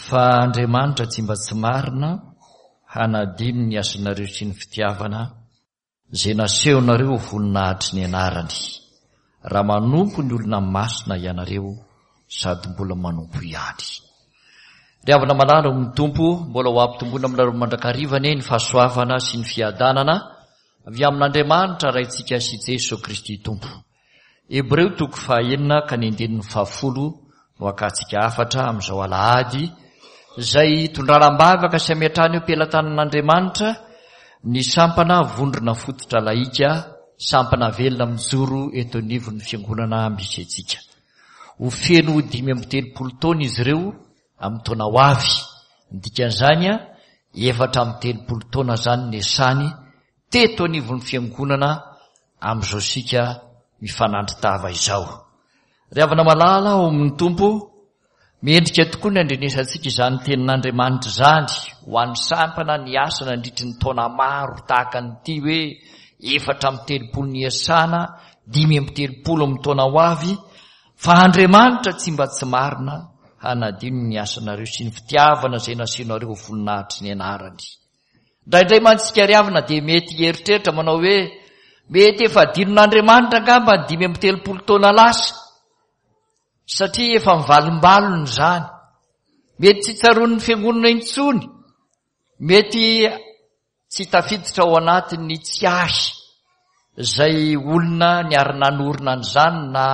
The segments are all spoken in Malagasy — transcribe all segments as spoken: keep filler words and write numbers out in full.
Fa Andriamanitra tsy mba tsy marina hanadino ny asanareo sy ny fitiavana izay nasehonareo ho voninahitry ny anarany, raha manompo ny olona masina ianareo sady mbola manompo ihany. Ry havana malala ao amin'ny Tompo, mbola ho ampitomboina aminareo mandrakariva anie ny fahasoavana sy ny fiadanana avy amin'Andriamanitra Raintsika sy Jeso Kristy Tompo. Hebreo toko fahaenina ka ny andininy fahafolo no hakantsika hafatra amin'izao alahady izay hitondrana am-bavaka sy hametrahana eo am-pelatanan'Andriamanitra ny sampana vondrona fototra lahika, sampana velona mijoro eto anivon'ny fiangonana misy antsika. Ho feno dimy amby telopolo taona izy ireo amin'ny taona ho avy. Ny dikan'izany, efatra amby telopolo taona izany niasany teto anivon'ny fiangonana amin'izao sika mifanandrin-tava izao. Ry havana malala ao amin'ny Tompo, mendrika tokoa ny handrenesantsika izany tenin'Andriamanitra izany ho an'ny sampana niasa nandritry ny taona maro tahaka an'ity hoe efatra amby telopolo niasana, dimy amby telopolo amin'ny taona ho avy, fa Andriamanitra tsy mba tsy marina hanadino ny asanareo sy ny fitiavana izay nasianareo ho voninahitry ny anarany. Indraindray mantsy isika ry havana dia mety hieritreritra manao hoe mety efa adinon'Andriamanitra angamba ny dimy amby telopolo taona lasa, satria efa mivalombalona izany. Mety tsy tsaroan'ny fiangonana intsony, mety tsy tafiditra ao anatin'ny tsiahy izay olona niara-nanorina an'izany na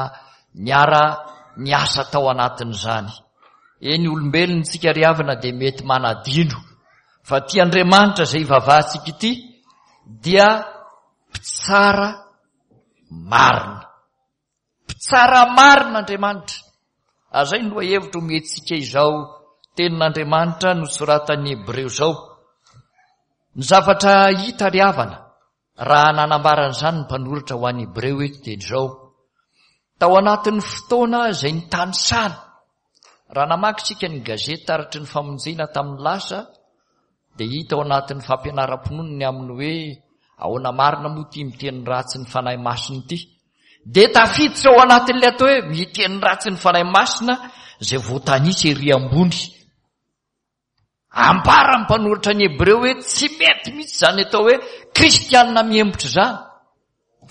niara-niasa tao anatin'izany. Eny, olombelona isika ry havana dia mety manadino fa ity Andriamanitra izay ivavahantsika ity dia mpitsara marina. Mpitsara marina Andriamanitra. Ary izay no lohahevitra omentsika izao tenin'Andriamanitra nosoratan'ny Hebreo izao. Ny zavatra hita ry havana raha nanambara an'izany ny mpanoratra ho an'ny Hebreo eto dia izao. Tao anatin'ny fotoana izay nitanisana, raha namaky isika ny gazety taratry ny famonjena tamin'ny lasa, dia hita ao anatin'ny fampianaram-pinoana ny amin'ny hoe ahoana marina moa ity miteny ratsy ny Fanahy Masina ity. Dia tafiditra ao anatin'ilay atao hoe miteny ratsy ny Fanahy Masina izay voatanisa ery ambony. Ambaran'ny mpanoratra ny Hebreo hoe tsy mety mihitsy izany atao hoe kristianina mihemotra izany,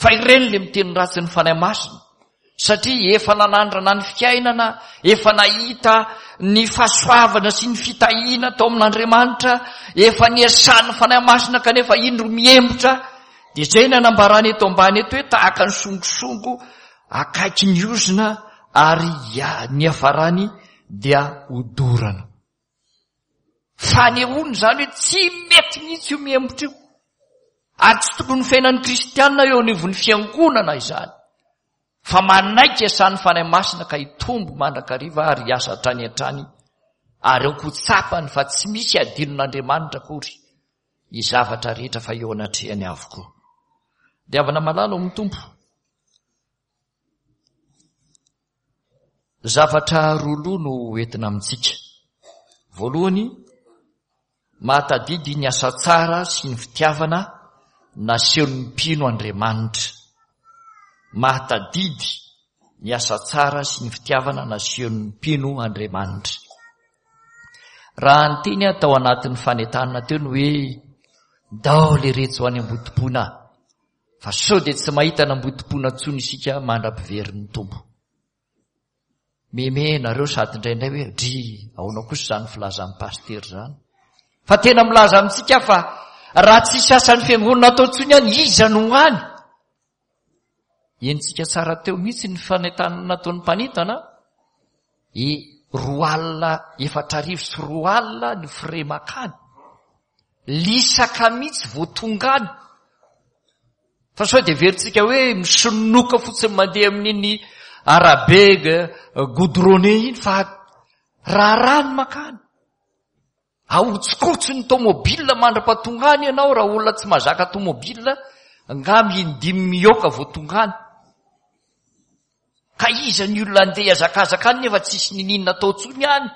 fa ireny ilay miteny ratsy ny Fanahy Masina, satria efa nanandrana ny fiainana, efa nahita ny fahasoavana sy ny fitahiana tao amin'Andriamanitra, efa niasan'ny Fanahy Masina kanefa indro mihemotra. Dia izay no anambarany eto ambany eto hoe tahaka ny songosongo akaiky ny ozona ary ny hiafarany dia hodorana. Fanehoana izany hoe tsy mety mihitsy io mihemotra io. Ary tsy tokony ho fiainan'ny kristiana eo anivon'ny fiangonana izany. Fa manaiky asan'ny Fanahy Masina ka hitombo mandrakariva ary hiasa hatrany hatrany. Ary aoka ho tsapany fa tsy misy adinon'Andriamanitra akory ny zavatra rehetra fa eo anatrehany avokoa. Dia havana malala ao amin'ny Tompo. Zavatra roa loha no entina amintsika. Voalohany, mahatadidy ny asa tsara sy ny fitiavana nasehon'ny mpino Andriamanitra. Mahatadidy ny asa tsara sy ny fitiavana nasehon'ny mpino Andriamanitra. Raha niteny aho tao anatin'ny fanentanana teo ny hoe ndao leretsy ho any Ambodimpoina, fa sao dia tsy mahita an'Ambodimpoina intsony isika mandra-piverin'ny Tompo. Meme nareo sady indraindray hoe dry, ahoana kosa izany filazan'ny pasitera izany? Fa tena milaza amintsika fa raha tsisy asan'ny fiangonana atao intsony any, iza no ho any? Henontsika tsara teo mihitsy ny fanentanana nataon'ny mpanentana, e roa alina efatra arivo sy roa alina ny frais makany. Lisaka mihitsy vao tonga any. Fa sao dia heverintsika hoe misononoka fotsiny mandeha amin'iny arabe goudronné iny, fa raharaha ny makany. Ahotsikotso ny tomobile mandra-pahatonga any ianao, raha olona tsy mahazaka tomobile, angamba indimy mihoaka vao tonga any. Ka iza ny olona andeha hihazakazaka any nefa tsisy niniana atao intsony any?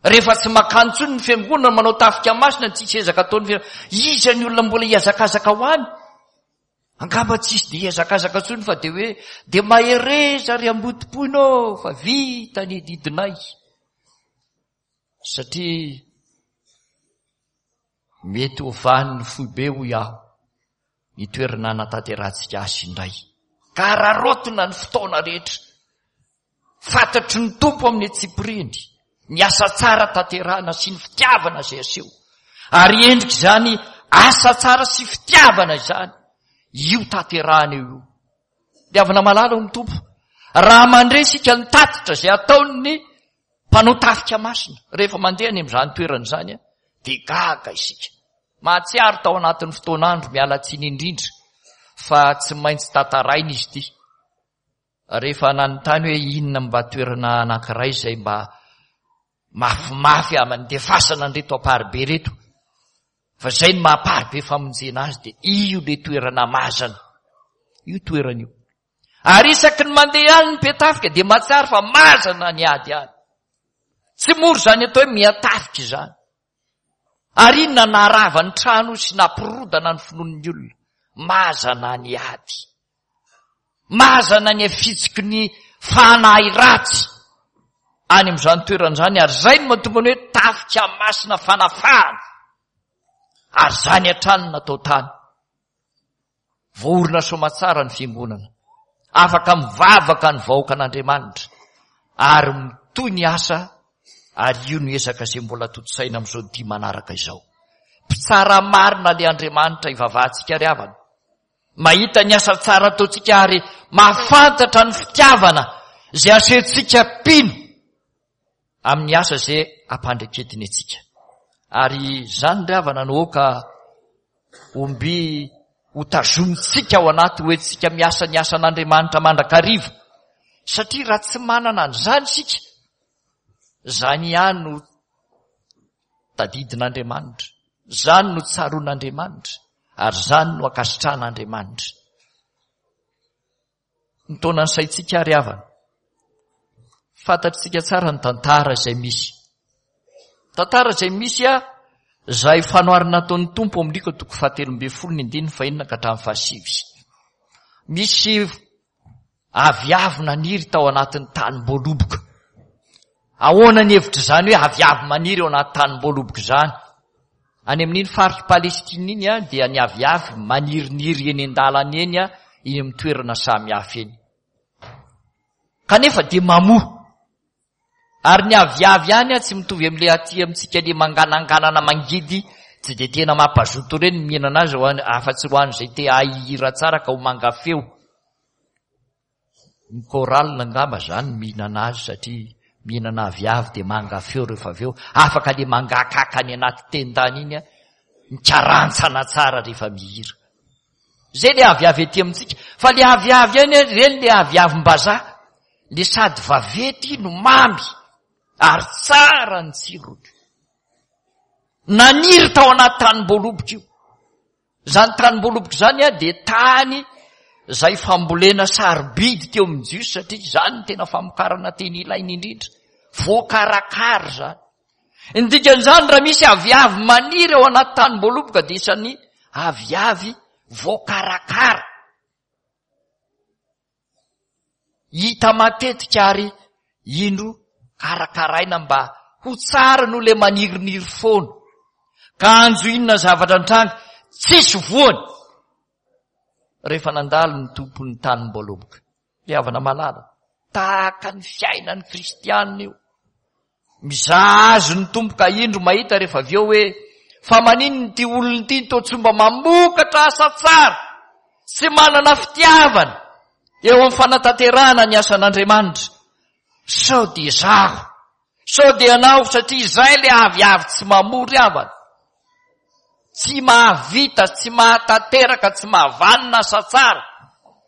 Rehefa tsy makany intsony ny fiangonana, manao tafika masina, tsisy ezaka ataon'ny fiangonana, iza ny olona mbola hihazakazaka ho any? Angamba tsisy dia hihazakazaka intsony fa dia hoe dia mahereza ry Ambodimpoina ô, fa vita ny didinay. Satria mety ho vanin'ny foibe hoy aho ny toerana hanatanterahantsika azy indray. Ka araraotina ny fotoana rehetra. Fantatry ny Tompo amin'ny antsipiriany ny asa tsara tanterahana sy ny fitiavana izay aseho. Ary endrika izany asa tsara sy fitiavana izany io tanterahana io. Ry havana malala ao amin'ny Tompo, raha mandre isika ny tatitra izay ataon'ny mpanao tafika masina rehefa mandeha any amin'izany toerana izany, dia gaga isika. Mahatsiaro tao anatin'ny fotoan'andro, miala tsiny indrindra fa tsy maintsy tantaraina izy ity. Rehefa nanontany hoe inona mba toerana anankiray izay mba mafimafy andefasana an'ireto Amparibe ireto, fa izay no maha Amparibe famonjena azy, dia io ilay toerana mazana, io toerana io. Ary isaky ny mandeha any ny mpiatafika dia mahatsiaro fa mazana ny ady any. Tsy mora izany atao hoe miatafika izany. Ary inona naharava ny trano sy nampirodana ny finoan'ny olona? Mazana ny ady. Mazana ny afitsiky ny fanahy ratsy any amin'izany toerana izany, ary izay no mahatonga ny hoe tafika masina fanafahana. Ary izany hatrany no natao tany. Voaorina soamatsara ny fiangonana. Afaka mivavaka ny vahoakan'Andriamanitra ary mitohy ny asa, ary io no ezaka izay mbola tontosaina amin'izao dia manaraka izao. Mpitsara marina ilay Andriamanitra ivavahantsika ry havana. Mahita ny asa tsara ataontsika ary mahafantatra ny fitiavana izay asehontsika mpino amin'ny asa izay ampandreketiny antsika. Ary izany ry havana no aoka omby ho tazomintsika ao anaty ho entintsika miasa ny asan'Andriamanitra mandrakariva. Satria raha tsy manana an'izany isika, izany ihany no tadidin'Andriamanitra, izany no tsaroan'Andriamanitra, ary izany no ankasitrahan'Andriamanitra. Ny taona ny saintsika ary havana, fantatritsika tsara ny tantara izay misy. Tantara izay misy a, izay fanoharana ataon'ny Tompo amin'ny Lioka toko fahatelo ambin'ny folo ny andininy fahenina ka hatramin'ny fahasivy. Misy aviavy naniry tao anatin'ny tanim-boaloboka. Ahoana ny hevitr'izany hoe aviavy maniry ao anaty tanim-boaloboka izany? Any amin'iny faritr'i Palestina iny a, dia ny aviavy maniriniry eny an-dalana eny a, eny amin'ny toerana samihafa eny. Kanefa dia mamoa. Ary ny aviavy ihany a, tsy mitovy amin'ilay aty amintsika ilay mangananganana mangidy, tsy dia tena mampazoto ireny ny mihinana azy, ho an-, afa-tsy ho an'izay te hahay hihira tsara ka ho manga feo. Ny chorale angamba zany mihinana azy satria mihinana aviavy dia manga feo rehefa avy eo. Afaka le mangakaka any anaty tendany iny a, mikarantsana tsara rehefa mihira. Zay le aviavy aty amintsika. Fa le aviavy ihany a, ireny le aviavim-bazaha, le sady vaventy no mamy ary tsara ny tsirony. Naniry tao anaty tanim-boaloboka io. Izany tanim-boaloboka izany a, dia tany izay fambolena sarobidy teo amin'ny Jiosy, satria izany no tena famokarana teny ilaina indrindra. Voakarakara izany. Ny dikan'izany, raha misy aviavy maniry ao anaty tanim-boaloboka dia isan'ny aviavy voakarakara. Hita matetika ary indro karakaraina mba ho tsara noho ilay maniriniry foana. Kanjo inona zavatra nitranga? Tsisy voany rehefa nandalo ny tompon'ny tanim-boaloboka. Ry havana malala, tahaka ny fiainan'ny kristianina io. Mizaha azy ny Tompo ka indro mahita rehefa avy eo hoe fa maninona ity olona ity toa tsy mba mamokatra asa tsara, tsy manana fitiavana eo amin'ny fanatanterahana ny asan'Andriamanitra. Sao dia izaho, sao dia ianao, satria izay ilay aviavy tsy mamory havana, tsy mahavita, tsy mahatanteraka, tsy mahavanona asa tsara,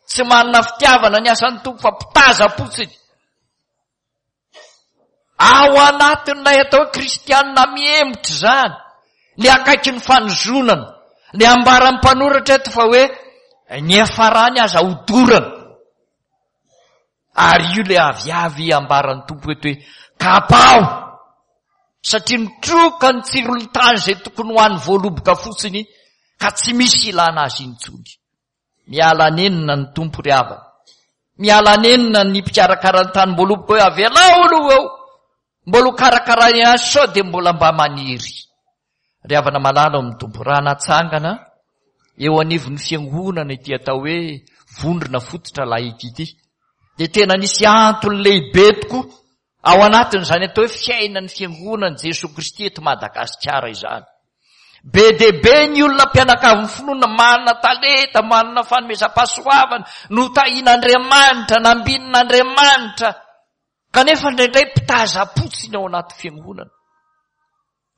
tsy manana fitiavana ny asan'ny Tompo fa mpitazam-potsiny. Ao anatin'ilay atao hoe kristianina mihemotra izany, le akaiky ny fanozonana, le ambaran'ny mpanoratra eto fa hoe ny hiafarany aza hodorana. Ary io le aviavy ambaran'ny Tompo eto hoe kapao, satria mitroka ny tsiron'ny tany izay tokony ho an'ny voaloboka fotsiny ka tsy misy ilana azy intsony. Miala nenina ny Tompo ry havana. Miala nenina ny mpikarakara ny tanim-boaloboka hoe avelao aloha eo Mbola ho karakaraina ihany sao dia mbola mba maniry. Ry havana malala ao amin'ny Tompo, raha natsangana eo anivon'ny fiangonana ity atao hoe vondrona fototra laïque ity, dia tena nisy antony lehibe tokoa ao anatin'izany atao hoe fiainan'ny fiangonan'i Jesoa Kristy eto Madagasikara izany. Be dia be ny olona mpianakavin'ny finoana manana talenta, manana fanomezam-pahasoavana, notahian'Andriamanitra, nambinin'Andriamanitra, kanefa indraindray mpitazam-potsiny ao anaty fiangonana.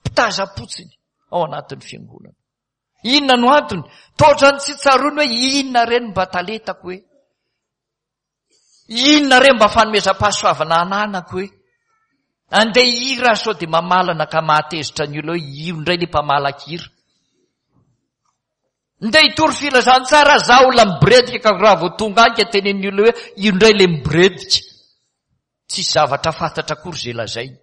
Mpitazam-potsiny ao anatin'ny fiangonana. Inona no antony? Toa ohatran'ny tsy tsaroany hoe inona re no mba talentako hoe? Inona re mba fanomezam-pahasoavana ananako hoe? Andeha hihira aho sao dia mamalana ka mahatezitra ny olona hoe io indray ilay mpamalakira. Ndeha hitory filazantsara aho, za olona miboredika ka raha vao tonga any ka tenenin'ny olona hoe io indray ilay miboredika. Tsisy zavatra fantatra akory izay lazainy.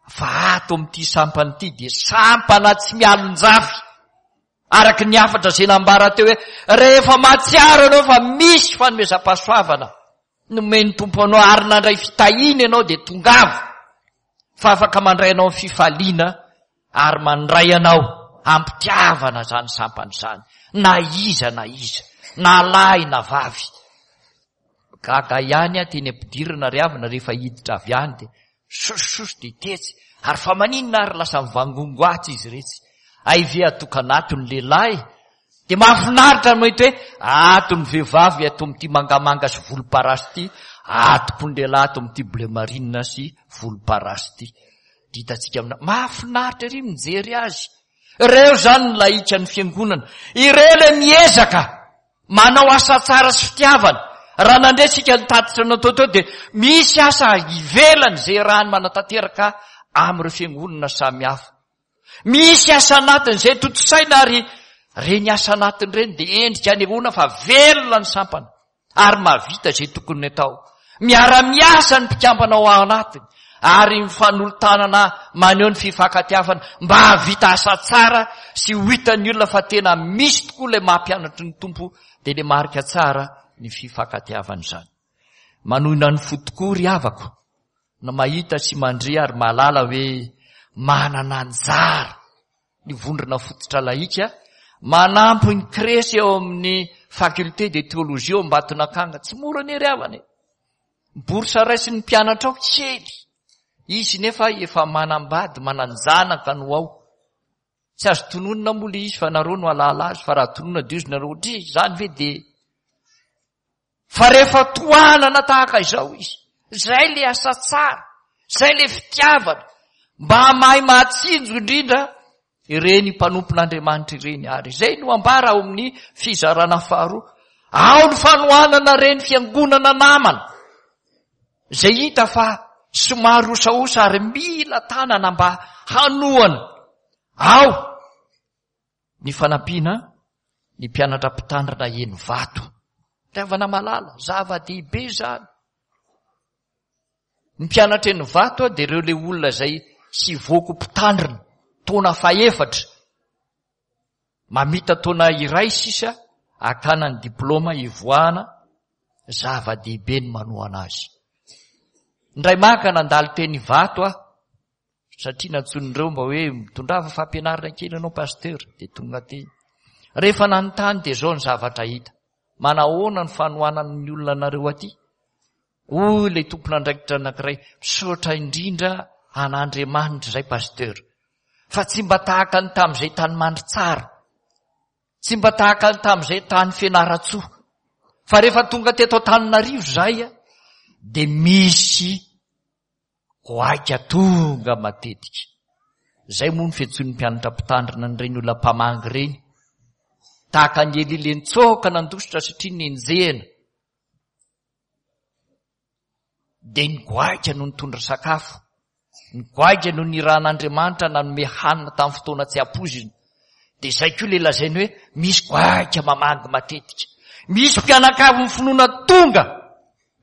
Fa ato amin'ity sampana ity dia sampana tsy mialon-jafy. Araka ny hafatra izay nambara teo hoe rehefa mahatsiaro ianao fa misy fanomezam-pahasoavana nomen'ny Tompo anao ary nandray fitahiana ianao dia tongava fa afaka mandray anao amin'ny fifaliana ary mandray anao am-pitiavana izany sampana izany na iza na iza na lahy na vavy. Gaga ihany aho teny am-pidirana ry havana rehefa hiditra avy any dia sosososo dia tetsy ary fa maninona ary lasa mivangongo atsy izy iretsy. Hay ve atokana ato ny lehilahy? Dia mahafinaritra ny mahita hoe ato ny vehivavy ato amin'ity mangamanga sy volomparasy ity, ato koa ny lehilahy ato amin'ity bleu marine sy volomparasy ity. Dia hitantsika amina, mahafinaritra ery mijery azy. Ireo izany ny lahikan'ny fiangonana. Ireo ilay miezaka manao asa tsara sy fitiavana. Raha nandre isika ny tatitra natao teo dia misy asa ivelany izay iarahany manatanteraka amin'ireo fiangonana samihafa. Misy asa anatiny izay tontosaina ary ireny asa anatiny ireny dia endrika anehoana fa velona ny sampana ary mahavita izay tokony atao. Miara-miasa ny mpikambana ao anatiny ary mifanolo-tanana maneho ny fifankatiavana mba hahavita asa tsara sy ho hitan'ny olona fa tena misy tokoa ilay maha-mpianatry ny Tompo dia ilay marika tsara ny fifankatiavana izany. Manohina ny fo tokoa ry havako na mahita sy mandre ary mahalala hoe manana anjara ny vondrona fototra lahika manampy ny kresy eo amin'ny faculté de théologie eo Ambatonakanga. Tsy mora anie ry havana e. Bourse raisin'ny mpianatra ao kely. Izy nefa efa manambady, manan-janaka no ao. Tsy azo tononina moa ilay izy fa nareo no halala azy, fa raha tononina dia izy nareo dry, izany ve dia fa rehefa tohanana tahaka izao izy, izay ilay asa tsara, izay ilay fitiavana, mba mahay mahatsinjo indrindra ireny mpanompon'Andriamanitra ireny. Ary izay no ambara ao amin'ny fizarana faharoa. Ao ny fanohanana ireny fiangonana namana, izay hita fa somary osaosa ary mila tanana mba hanohana. Ao ny fanampiana ny mpianatra mpitandrina eny vato. Fitiavana malala, zava-dehibe izany. Ny mpianatra eny vato dia ireo ilay olona izay sy voako mpitandrina, taona fahefatra, mamita taona iray sisa, hakana ny diplôma hivoahana, zava-dehibe ny manohana azy. Indray maka nandalo teny Ivato aho, satria nantsoin'ireo mba hoe mitondrava fampianarana kely ianao pasteur, dia tonga teny. Rehefa nanontany dia izao ny zavatra hita. Manahoana ny fanohanan'ny olona anareo aty? Hoy ilay tompon'andraikitra anankiray, misaotra indrindra an'Andriamanitra izay pasteur. Fa tsy mba tahaka ny tamin'izay tany Mandritsara. Tsy mba tahaka ny tamin'izay tany Fianarantsoa. Fa rehefa tonga teto Antananarivo izahay dia misy goaika tonga matetika. Izay moa ny fiantsoan'ny mpianatra mpitandrina an'ireny olona mpamangy ireny. Tahaka an'i Elia ilay nitsoaka nandositra satria nenjehina. Dia ny goaika no nitondra sakafo. Ny goaika no nirahan'Andriamanitra nanome hanina tamin'ny fotoana tsy ampoizina. Dia izay koa ilay lazainy hoe misy goaika mamangy matetika. Misy mpianakavin'ny finoana tonga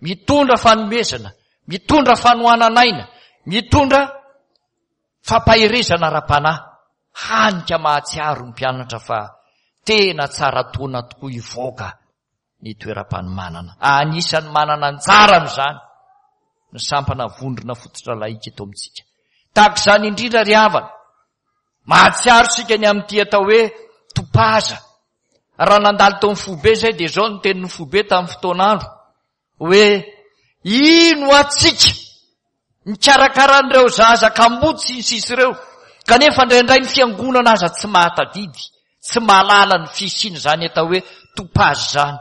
mitondra fanomezana, mitondra fanohanan'aina, mitondra fampaherezana ara-panahy. Hany ka mahatsiaro ny mpianatra fa tena tsara taona tokoa hivoaka ny toeram-panomanana. Anisan'ny manana anjara amin'izany ny sampana vondrona fototra laika eto amintsika. Tahaka izany indrindra ry havana, mahatsiaro isika ny amin'ity atao hoe topaza. Raha nandalo tao amin'ny foibe izay dia izao ny tenin'ny foibe tamin'ny fotoan'andro hoe ino atsika mikarakara an'ireo zaza kamboty sy ny sisa ireo, kanefa indraindray ny fiangonana aza tsy mahatadidy, tsy mahalala ny fisian'izany atao hoe topaza izany.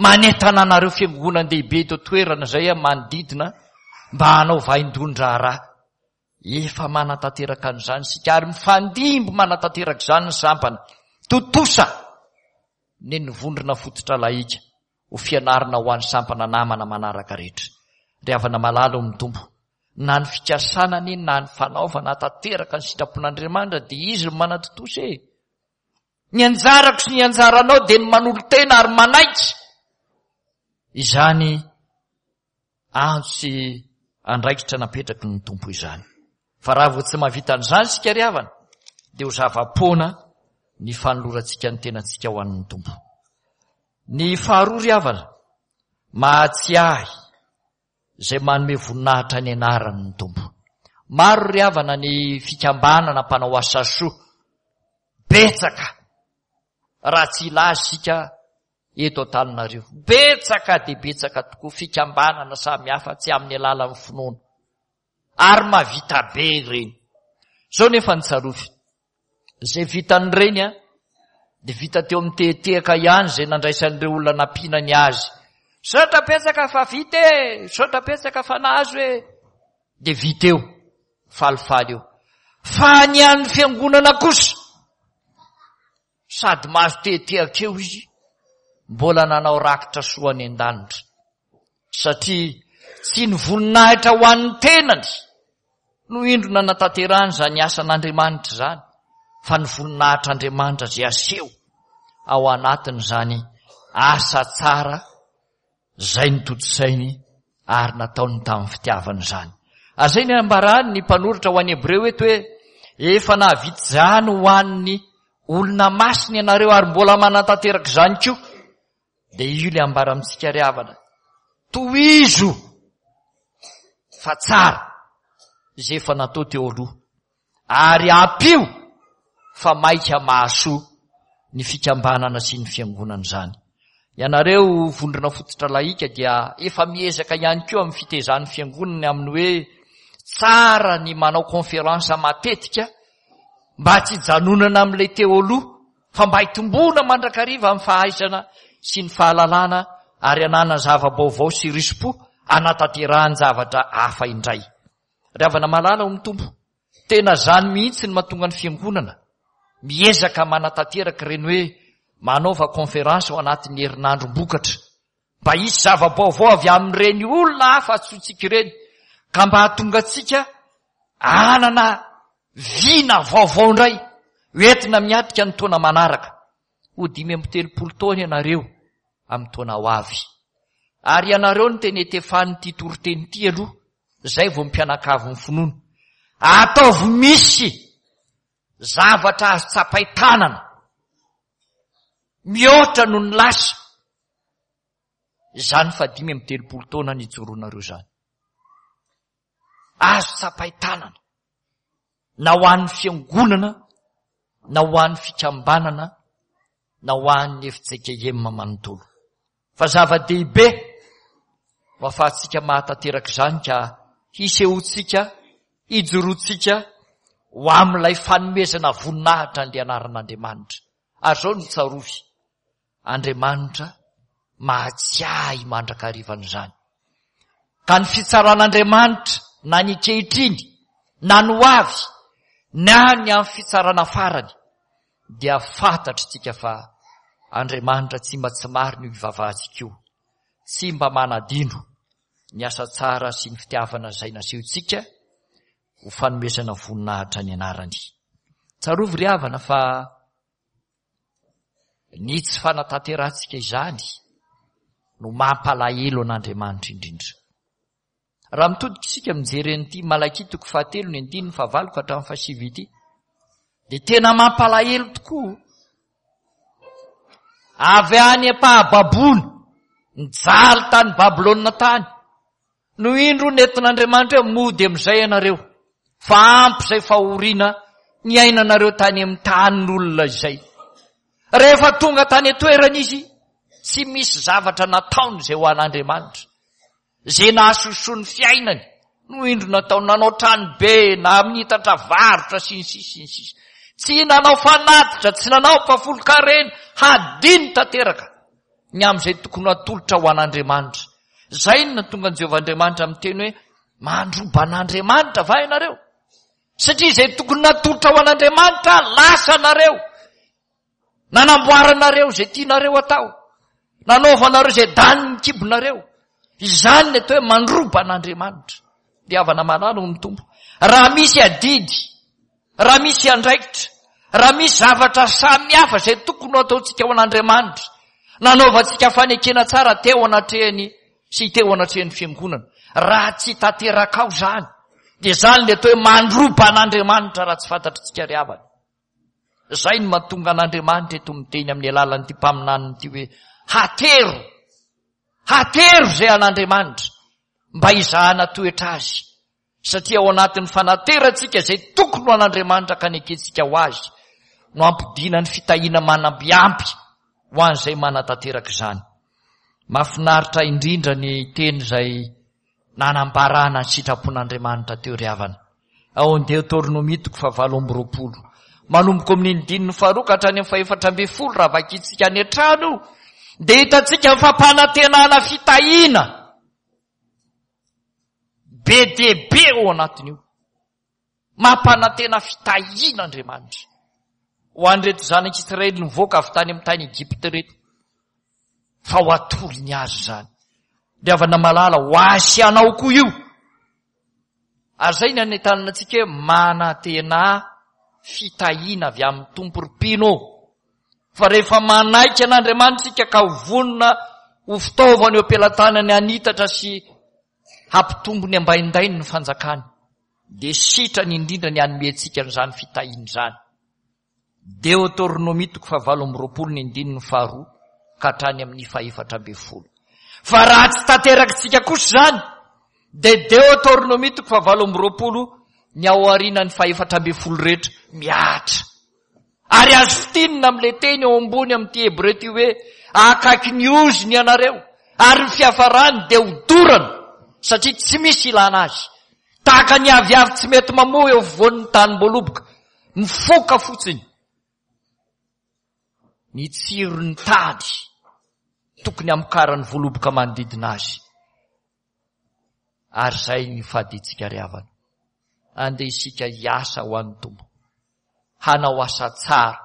Manentana anareo fiangonan-dehibe eto an-toerana izay manodidina mba hanao vaindohan-draharaha. Efa manatanteraka an'izany isika ary mifandimby manatanteraka izany ny sampana. Tontosa ny ny vondrona fototra laika ho fianarana ho an'ny sampana namana manaraka rehetra. Ry havana malala ao amin'ny Tompo, na ny fikasana anie na ny fanaovana tanteraka ny sitrapon'Andriamanitra dia izy no manatontosa e. Ny anjarako sy ny anjaranao dia ny manolo-tena ary manaiky izany antso sy andraikitra napetraky ny Tompo izany. Fa raha vao tsy mahavita an'izany isika ry havana dia ho zava-poana ny fanolorantsika ny tenantsika ho an'ny Tompo. Ny faharoa ry havana, mahatsiahy izay manome voninahitra ny anaran'ny Tompo. Maro ry havana ny fikambanana mpanao asa soa, betsaka raha tsy hilaza isika eto Antananarivo. Betsaka dia betsaka tokoa fikambanana samihafa tsy amin'ny alalan'ny finoana. Ary mahavita be ireny. Izao nefa ny tsarovy. Izay vitan'ireny a, dia vita teo amin'ny tehetehaka ihany izay nandraisan'ireo olona nampiana ny azy. Misaotra betsaka fa vita e, misaotra betsaka fa nahazo e. Dia vita eo, falifaly eo. Fa ny an'ny fiangonana kosa, sady mahazo tehetehaka eo izy, mbola nanao rakitra soa any an-danitra. Satria tsy ny voninahitra ho an'ny tenany no indro nanatanterahany izany asan'Andriamanitra izany, fa ny voninahitr'Andriamanitra izay aseho ao anatin'izany asa tsara izay notontosainy ary nataony tamin'ny fitiavana izany. Ary izay ny ambarany ny mpanoratra ho an'ny Hebreo eto hoe efa nahavita izany ho an'ny olona masina ianareo ary mbola manatanteraka izany koa. Dia io ilay ambara amintsika ry havana, tohizo fa tsara izay efa natao teo aloha ary ampio fa maika mahasoa ny fikambanana sy ny fiangonana izany. Ianareo vondrona fototra laika dia efa miezaka ihany koa amin'ny fitezan'ny fiangonana amin'ny hoe tsara ny manao conférence matetika mba tsy hijanonana amin'ilay teo aloha fa mba hitomboana mandrakariva amin'ny fahaizana sy ny fahalalana ary ananana zava-baovao sy risi-po anatanterahany zavatra hafa indray. Ry havana malala ao amin'ny Tompo, tena izany mihitsy ny mahatonga ny fiangonana miezaka manatanteraka ireny hoe manaova conférence ao anatin'ny herinandrom-bokatra mba hisy zava-baovao avy amin'ireny olona hafa antsointsika ireny ka mba hahatonga antsika hanana vina vaovao indray hoentina miatrika ny taona manaraka. Ho dimy amby telopolo taona ianareo amin'ny taona ho avy. Ary ianareo no tena etefan'ity toriteny ity aloha, izay vao mpianakavin'ny finoana. Ataovy misy zavatra azo tsapain-tanana mihoatra noho ny lasa izany fa dimy amby telopolo taona nijoroanareo izany. Azo tsapain-tanana na ho an'ny fiangonana na ho an'ny fikambanana na ho an'ny F J K M manontolo. Fa zava-dehibe ho ahafahantsika mahatanteraka izany ka hisehoantsika, hijoroantsika ho amin'ilay fanomezana voninahitra an'ilay anaran'Andriamanitra. Ary izao no tsarovy, Andriamanitra mahatsiahy mandrakariva an'izany. Ka ny fitsaran'Andriamanitra na ny ankehitriny na ny ho avy na ny amin'ny fitsarana farany dia fantatritsika fa Andriamanitra tsy mba tsy marina io ivavahantsika io, tsy mba manadino ny asa tsara sy ny fitiavana izay nasehontsika ho fanomezana voninahitra ny anarany. Tsarovy ry havana fa ny tsy fanatanterahantsika izany no mampalahelo an'Andriamanitra indrindra. Raha mitodika isika mijery an'ity Malakia toko fahatelo ny andininy fahavalo ka hatramin'ny fahasivy ity, dia tena mampalahelo tokoa. Avy any am-pahababoana, nijaly tany Babylona tany, No indro nentin'Andriamanitra hoe mody amin'izay ianareo, fa ampy izay fahoriana niainanareo tany amin'ny tanin'olona izay. Rehefa tonga tany an-toerana izy, tsy misy zavatra nataony izay ho an'Andriamanitra. Izay nahasosoa ny fiainany no indro nataony, nanao trano be, nanitatra varotra sy ny sisa sy ny sisa. Tsy nanao fanatitra, tsy nanao mpahafolon-karena, hadino tanteraka ny amin'izay tokony hatolotra ho an'Andriamanitra. Izay no nahatonga an'i Jehovah Andriamanitra miteny hoe, mandroba an'Andriamanitra va ianareo? Satria izay tokony natolotra ho an'Andriamanitra, lasa nareo. Nanamboaranareo izay tianareo atao. Nanaovanareo izay danin'ny kibonareo. Izany ny atao hoe mandroba an'Andriamanitra. Ry havana malala hoy ny Tompo, raha misy adidy, raha misy andraikitra, raha misy zavatra samihafa izay tokony ho ataontsika ho an'Andriamanitra, nanaovantsika fanekena tsara teo anatrehany sy teo anatrehan'ny fiangonana, raha tsy tanterakao izany, dia izany ilay atao hoe mandroba an'Andriamanitra raha tsy fantatritsika ry havana. Izay no mahatonga an'Andriamanitra eto miteny amin'ny alalan'ity mpaminaniny ity hoe hatero, hatero izay an'Andriamanitra mba hizahana toetra azy, satria ao anatin'ny fanaterantsika izay tokony ho an'Andriamanitra ka nekentsika ho azy no hampodiana ny fitahiana manambiampy ho an'izay manatanteraka izany. Mahafinaritra indrindra ny teny izay nanambarana ny sitrapon'Andriamanitra teo ry havana. Ao amin'ny Deoteronomia toko fahavalo amby roapolo. Manomboka amin'ny andininy faharoa ka hatrany amin'ny fahefatra ambin'ny folo raha vakintsika any an-trano io, dia hitantsika ny fampanantenana fitahiana be dia be ao anatin'io. Mampanantena fitahiana Andriamanitra ho an'ireto zanak'Israely nivoaka avy tany amin'ny tany Egypta ireto, fa ho atolony azy izany. Ry havana malala, ho ahy sy anao koa io. Ary izay ny anentanana antsika hoe manantena fitahiana avy amin'ny Tompo ry mpino ô. Fa rehefa manaiky an'Andriamanitra isika ka ho vonona ho fitaovana eo am-pelatanany hanitatra sy hampitombo ny ambaindainy ny fanjakany, dia sitrany indrindra ny hanome antsika an'izany fitahiana izany. Deoteronomia toko fahavalo amby roapolo ny andininy faharoa ka hatrany amin'ny fahefatra ambin'ny folo. Fa raha tsy tanterakitsika kosa izany, dia Deoteronomia toko fahavalo amby roapolo ny ao aorianan'ny fahefatra ambin'ny folo rehetra mihatra. Ary azo fintinina amin'ilay teny eo ambony amin'ity Hebreo ity hoe akaiky ny ozona ianareo, ary ny fiafarany dia hodorana, satria tsy misy ilana azy. Tahaka ny aviavy tsy mety mamoa eo afovoan'ny tanim-boaloboka, mifoka fotsiny ny tsiron'ny tady tokony hamokaran'ny voaloboka manodidina azy. Ary izay ny fadintsika ry havana. Andeha isika hiasa ho an'ny Tompo, hanao asa tsara,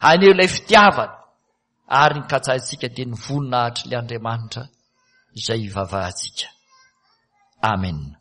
haneho ilay fitiavana, ary ny katsahintsika dia ny voninahitr'ilay Andriamanitra izay ivavahantsika. Amen.